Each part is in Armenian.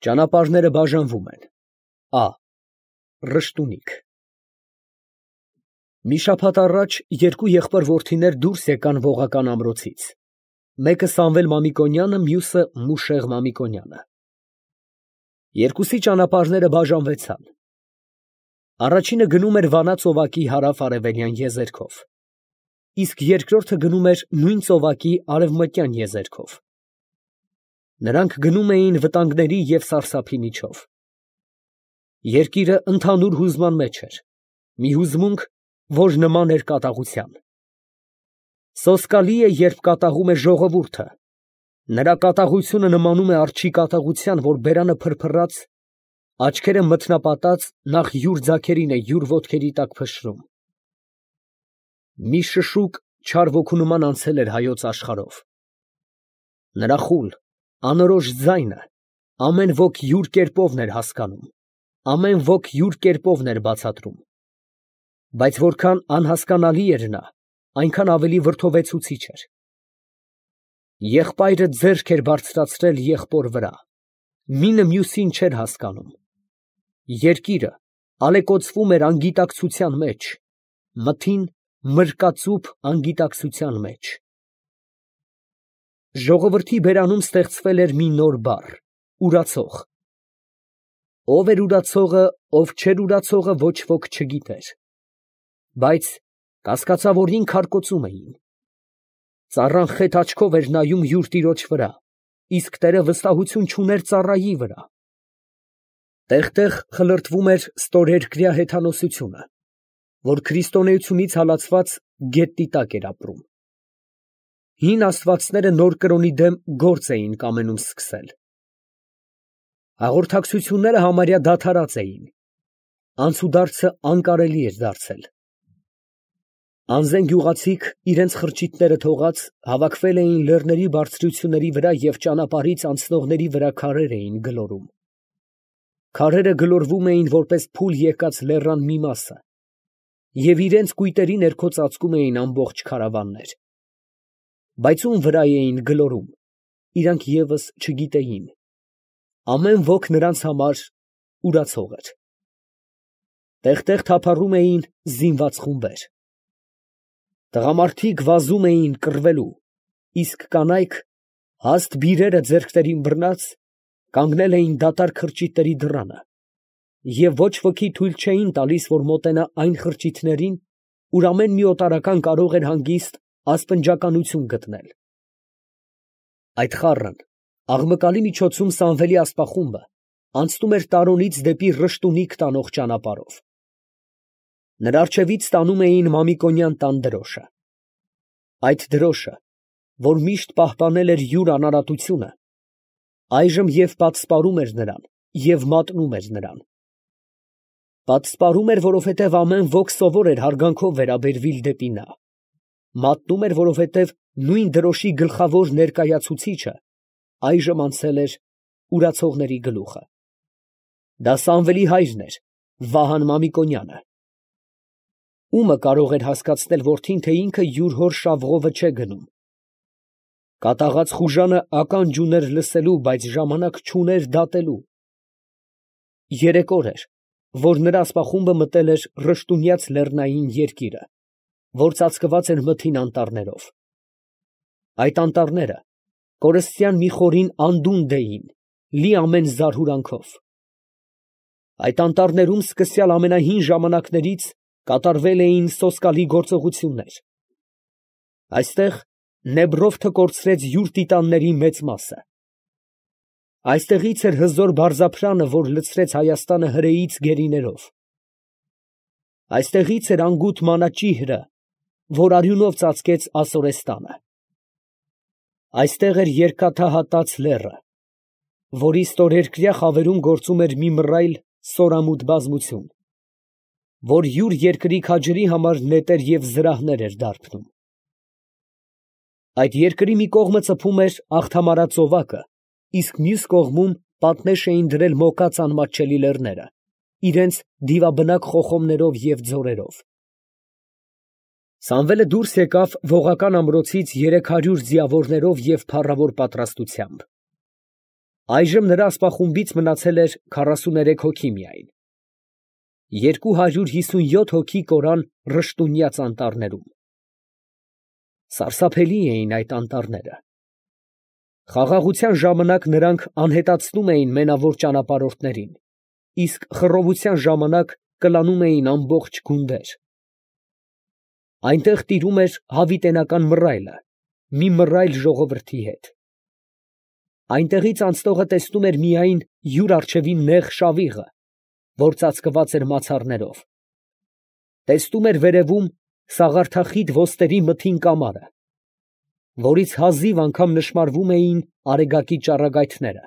Ճանապարհները բաժանվում են։ Ա. Ռշտունիք։ Մի շաբաթ առաջ երկու եղբոր֊որդիներ դուրս եկան Ողական ամրոցից, մեկը Սամվել Մամիկոնյանը, մյուսը Մուշեղ Մամիկոնյանը։ Երկուսի ճանապարհները բաժանվեցան։ Առաջինը գնում էր Վանա ծովակի հարավ֊արևելյան եզերքով, իսկ երկրորդը գնում էր նույն ծովակի արևմտյան եզերքով։ Նրանք գնում էին վտանգների և սարսափի միջով։ Երկիրը ընդհանուր հուզման մեջ էր, մի հուզմունք, որ նման էր կատաղության։ Սոսկալի է, երբ կատաղում է ժողովուրդը, նրա կատաղությունը նմանում է արջի կատաղության, որ բերանը փրփռած, աչքերը մթնապատած, նախ յուր ձագերին է յուր ոտքերի տակ փշրում։ Մի շշուկ չար ոգու նման անցել էր հայոց աշխարհով։ Նրա խուլ, անորոշ ձայնը ամեն ոք յուր կերպովն էր հասկանում, ամեն ոք յուր կերպովն էր բացատրում, բայց որքան անհասկանալի էր նա, այնքան ավելի վրդովեցուցիչ էր։ Եղբայրը ձեռք էր բարձրացրել եղբոր վրա, մինը մյուսին չէր հասկանում։ Երկիրը ալեկոծվում էր անգիտակցության մեջ, մթին մրկածուփ անգիտակցության մեջ։ Ժողովրդի բերանում ստեղծվել էր մի նոր բառ՝ ուրացող։ Ով էր ուրացողը, ով չէր ուրացողը, ոչ ոք չգիտեր, բայց կասկածավորին քարկոծում էին։ Ծառան խետ աչքով էր նայում յուր տիրոջ վրա, իսկ տերը վստահություն չուներ ծառայի վրա։ Տեղ֊տեղ խլրտվում էր ստորերկրյա հեթանոսությունը, որ քրիստոնեությունից հալածված գետնի տակ էր ապրում։ Հին աստվածները նոր կրոնի դեմ գործ էին կամենում սկսել։ Հաղորդակցությունները համարյա դադարած էին, անցուդարձը անկարելի էր դարձել։ Անզեն գյուղացիք, իրենց խրճիթները թողած, հավաքվել էին լեռների բարձրությունների վրա և ճանապարհից անցնողների վրա քարեր էին գլորում։ Քարերը գլորվում էին որպես փուլ եկած լեռան մի մասը, և իրենց կույտերի ներքո ծածկում էին ամբողջ քարավաններ։ Բայց ում վրա էին գլորում, իրանք ևս չգիտեին։ Ամեն ոք նրանց համար ուրացող էր։ Տեղ֊տեղ թափառում էին զինված խումբեր։ Տղամարդիկ վազում էին կռվելու, իսկ կանայք, հաստ բիրերը ձեռքներին բռնած, կանգնել էին դատարկ խրճիթների դռանը, և ոչ ոքի թույլ չէին տալիս, որ մոտենա այն խրճիթներին, ուր ամեն մի օտարական կարող էր հանգիստ ասպնջականություն գտնել։ Այդ խառն, աղմկալի միջոցում Սամվելի ասպախումբը անցնում էր Տարոնից դեպի Ռշտունիք տանող ճանապարհով։ Նրա առջևից տանում էին Մամիկոնյան տան դրոշը։ Այդ դրոշը, որ միշտ պահպանել էր յուր անարատությունը, այժմ և պատսպարում էր նրան, և մատնում էր նրան։ Պատսպարում էր, որովհետև ամեն ոք սովոր էր հարգանքով վերաբերվիլ դեպի նա, մատնում էր, որովհետև նույն դրոշի գլխավոր ներկայացուցիչը այժմ անցել էր ուրացողների գլուխը։ Դա Սամվելի հայրն էր, Վահան Մամիկոնյանը։ Ումը կարող էր հասկացնել որդին, թե ինքը յուր հոր շավղովը չէ գնում։ Կատաղած խուժանը ականջ ուներ լսելու, բայց ժամանակ չուներ դատելու։ Երեք օր էր, որ նրա ասպախումբը մտել էր Ռշտունյաց լեռնային երկիրը, որ ծածկված էր մթին անտառներով։ Այդ անտառները կորստյան մի խորին անդունդ էին, լի ամեն զարհուրանքով։ Այդ անտառներում սկսյալ ամենահին ժամանակներից կատարվել էին սոսկալի գործողություններ։ Այստեղ Նեբրովթը կորցրեց յուր տիտանների մեծ մասը։ Այստեղից էր հզոր բարձրափրանը, որ լցրեց Հայաստանը հրեից գերիներով։ Այստեղից էր անգութ մանաճիհրը, որ արյունով ծածկեց Ասորեստանը։ Այստեղ էր երկաթահատած լեռը, որի ստորերկրյա խավերում գործում էր մի մռայլ սորամուտ բազմություն, որ յուր երկրի քաջերի համար նետեր և զրահներ էր դարբնում։ Այդ երկրի մի կողմը ծփում էր Աղթամարա ծովակը, իսկ մյուս կողմում պատնեշ էին դրել մոկած անմատչելի լեռները, իրենց դիվաբնակ խոխոմներով և ձորերով։ Սամվելը դուրս եկավ Ողական ամրոցից 300 ձիավորներով և փառավոր պատրաստությամբ։ Այժմ նրա ասպախումբից մնացել էր 43 հոգի միայն։ 257 հոգի կորան Ռշտունյաց անտառներում։ Սարսափելի էին այդ անտառները։ Խաղաղության ժամանակ նրանք անհետացնում էին մենավոր ճանապարհորդներին, իսկ խռովության ժամանակ կլանում էին ամբողջ գունդեր։ Այնտեղ տիրում էր հավիտենական մռայլը, մի մռայլ ժողովրդի հետ։ Այնտեղից անցնողը տեսնում էր միայն յուր առջևի նեղ շավիղը, որ ծածկված էր մացառներով։ Տեսնում էր վերևում սաղարթախիտ ոստերի մթին կամարը, որից հազիվ անգամ նշմարվում էին արեգակի ճառագայթները։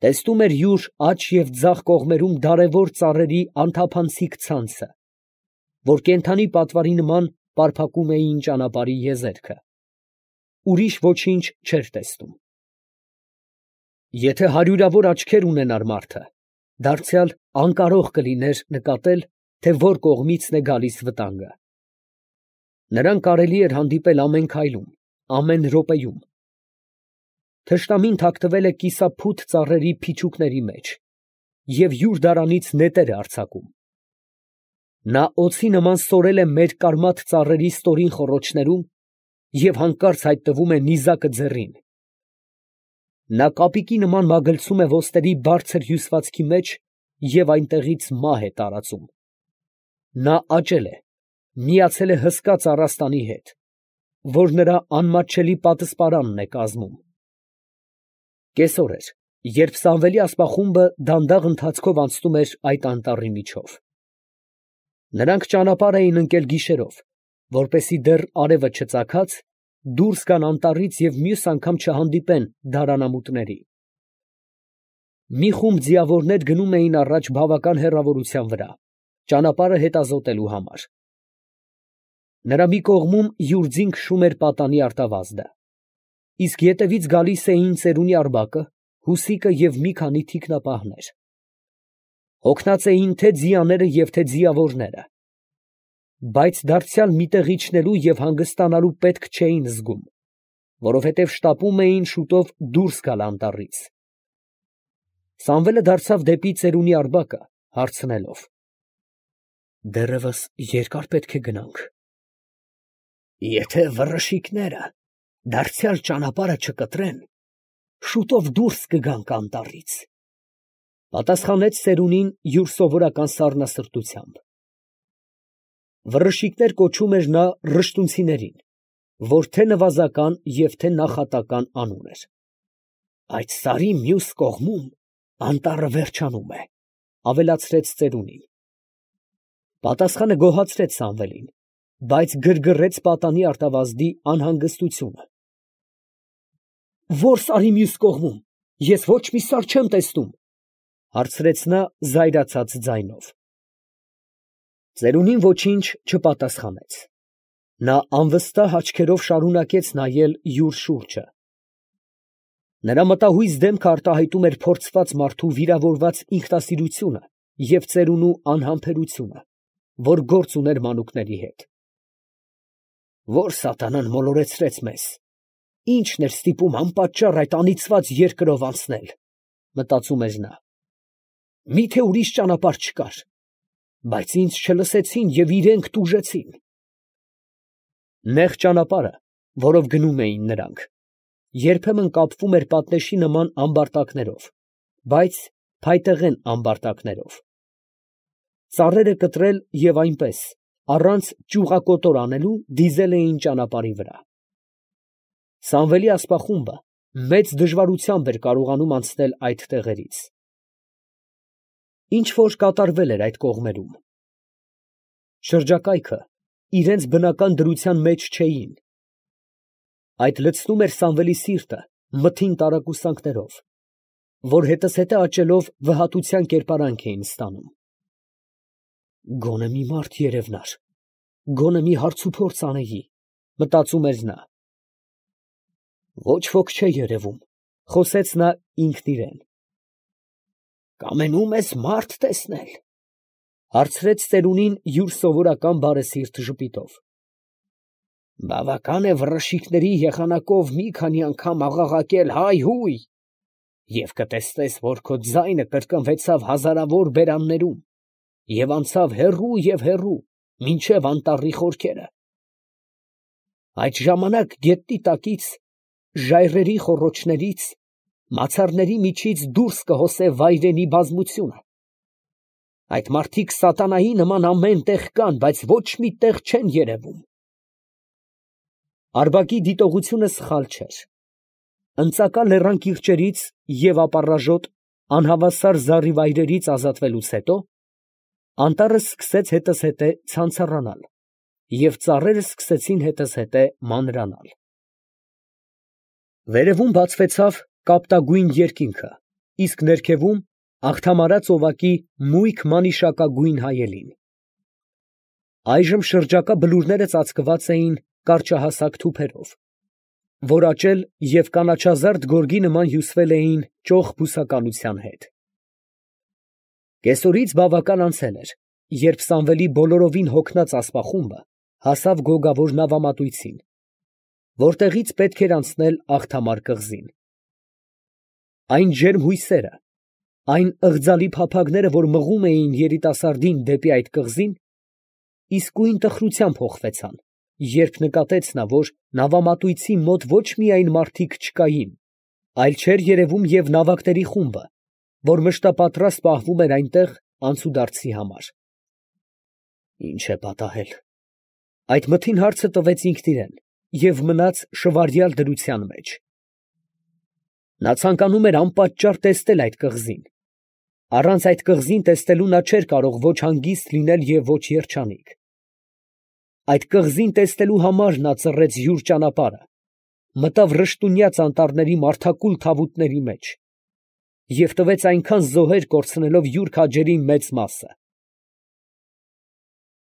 Տեսնում էր յուր աջ և ձախ կողմերում դարևոր ծառերի անթափանցիկ ցանցը, որ կենդանի պատվարի նման պարփակում էին ճանապարհի եզերքը։ Ուրիշ ոչինչ չէր տեսնում։ Եթե հարյուրավոր աչքեր ունենար մարդը, դարձյալ անկարող կլիներ նկատել, թե որ կողմիցն է գալիս վտանգը։ Նրան կարելի էր հանդիպել ամեն քայլում, ամեն րոպեում։ Թշնամին թաքնվել է կիսափութ ծառերի փիչուկների մեջ և յուր դարանից նետեր է արձակում։ Նա օձի նման սորել է մերկարմատ ծառերի ստորին խոռոչներում և հանկարծ հայտնվում է նիզակը ձեռին։ Նա կապիկի նման մագլցում է ոստերի բարձր հյուսվածքի մեջ և այնտեղից մահ է տարածում։ Նա աճել է, միացել է հսկա ծառաստանի հետ, որ նրա անմատչելի պատսպարանն է կազմում։ Կեսօր էր, երբ Սամվելի ասպախումբը դանդաղ ընթացքով անցնում էր այդ անտառի միջով։ Նրանք ճանապարհ էին ընկել գիշերով, որպեսզի դեռ արևը չծագած, դուրս գան անտառից և մյուս անգամ չհանդիպեն դարանամուտների։ Մի խումբ ձիավորներ գնում էին առաջ բավական հեռավորության վրա, ճանապարհը հետազոտելու համար։ Նրա մի կողմում յուր ձին քշում էր պատանի արտավազդը, իսկ ետևից գալիս էին ծերունի Արբակը, Հուսիկը և մի քանի թիկնապահներ։ Հոգնած էին թե ձիաները և թե ձիավորները, բայց դարձյալ մի տեղ իջնելու և հանգստանալու պետք չէին զգում, որովհետև շտապում էին շուտով դուրս գալ անտառից։ Սամվելը դարձավ դեպի ծերունի Արբակը, հարցնելով. «Դեռևս երկա՞ր պետք է գնանք»։ «Եթե վռշիկները դարձյալ ճանապարհը չկտրեն, շուտով դուրս կգանք անտառից», ֊ պատասխանեց ծերունին յուր սովորական սառնասրտությամբ։ Վռշիկներ կոչում էր նա ռշտունցիներին, որ թե նվազական և թե նախատական անուն էր։ «Այդ սարի մյուս կողմում անտառը վերջանում է», ֊ ավելացրեց ծերունին։ Պատասխանը գոհացրեց Սամվելին, բայց գրգռեց պատանի արտավազդի անհանգստությունը։ «Ո՞ր սարի մյուս կողմում, ես ոչ մի սար չեմ տեսնում, ֊ հարցրեց նա զայրացած ձայնով։ Ծերունին ոչինչ չպատասխանեց։ Նա անվստահ աչքերով շարունակեց նայել յուր շուրջը։ Նրա մտահույզ դեմքը արտահայտում էր փորձված մարդու վիրավորված ինքնասիրությունը և ծերունու անհամբերությունը, որ գործ ուներ մանուկների հետ։ «Ո՞ր սատանան մոլորեցրեց մեզ, ի՞նչն էր ստիպում անպատճառ այդ անիծված երկրով անցնել», ֊ մտածում էր նա։ «Մի՞թե ուրիշ ճանապարհ չկար, բայց ինձ չլսեցին և իրանք տուժեցին»։ Նեղ ճանապարհը, որով գնում էին նրանք, երբեմն կապվում էր պատնեշի նման ամբարտակներով, բայց փայտեղեն ամբարտակներով։ Ծառերը կտրել և այնպես, առանց ճյուղակոտոր անելու, դիզել էին ճանապարհի վրա։ Սամվելի ասպախումբը մեծ դժվարությամբ էր կարողանում անցնել այդ տեղերից։ Ինչ֊որ կատարվել էր այդ կողմերում։ Շրջակայքը իրենց բնական դրության մեջ չէին։ Այդ լցնում էր Սամվելի սիրտը մթին տարակուսանքներով, որ հետզհետե աճելով վհատության կերպարանք էին ստանում։ «Գոնե մի մարդ երևնար, գոնե մի հարցուփորձ անեի», ֊ մտածում էր նա։ «Ոչ ոք չէ երևում», ֊ խոսեց նա ինքն իրան։ «Կամենում ես մարդ տեսնել, ֊ հարցրեց ծերունին յուր սովորական բարեսիրտ ժպիտով։ «Բավական է վռշիկների եղանակով մի քանի անգամ աղաղակել հայ֊հույ, Եվ կտեսնես, որ քո ձայնը կրկնվեցավ հազարավոր բերաններում և անցավ հեռու և հեռու, մինչև անտառի խորքերը։ Այդ ժամանակ գետնի տակից, ժայռերի խոռոչներից, մացառների միջից դուրս կհոսե վայրենի բազմությունը։ Այդ մարդիկ սատանայի նման ամեն տեղ կան, բայց ոչ մի տեղ չեն երևում։ Արբակի դիտողությունը սխալ չէր։ Ընծակա լեռան կիրճերից և ապառաժոտ անհավասար զառիվայրերից ազատվելուց հետո անտառը սկսեց հետզհետե ցանցառանալ, և ծառերը սկսեցին հետզհետե մանրանալ։ Վերևում բացվեցավ կապտագույն երկինքը, իսկ ներքևում աղթամարած օղակի մույք մանիշակագույն հայելին։ Այժմ շրջակա բլուրները ծածկված էին կարճահասակ թուփերով, որ աճել և կանաչազարդ գորգի նման հյուսվել էին ճոխ բուսականության հետ։ Կեսօրից բավական անցել էր, երբ Սամվելի բոլորովին հոգնած ասպախումբը հասավ գոգավոր նավամատույցին, որտեղից պետք էր անցնել Աղթամար կղզին։ Այն ջերմ հույսերը, այն ըղձալի փափագները, որ մղում էին երիտասարդին դեպի այդ կղզին, իսկույն տխրության փոխվեցան, երբ նկատեց նա, որ նավամատույցի մոտ ոչ միայն մարդիկ չկային, այլ չէր երևում և նավակների խումբը, որ մշտապատրաստ պահվում էր այնտեղ անցուդարձի համար։ Ի՞նչ է պատահել։ Այդ մթին հարցը տվեց ինքն իրան և մնաց շվարյալ դրության մեջ։ Նա ցանկանում էր անպատճառ տեսնել այդ կղզին։ Առանց այդ կղզին տեսնելու նա չէր կարող ոչ հանգիստ լինել և ոչ երջանիկ։ Այդ կղզին տեսնելու համար նա ծռեց յուր ճանապարհը, մտավ ռշտունյաց անտառների մարդակուլ թավուտների մեջ և տվեց այնքան զոհեր կորցնելով յուր քաջերի մեծ մասը։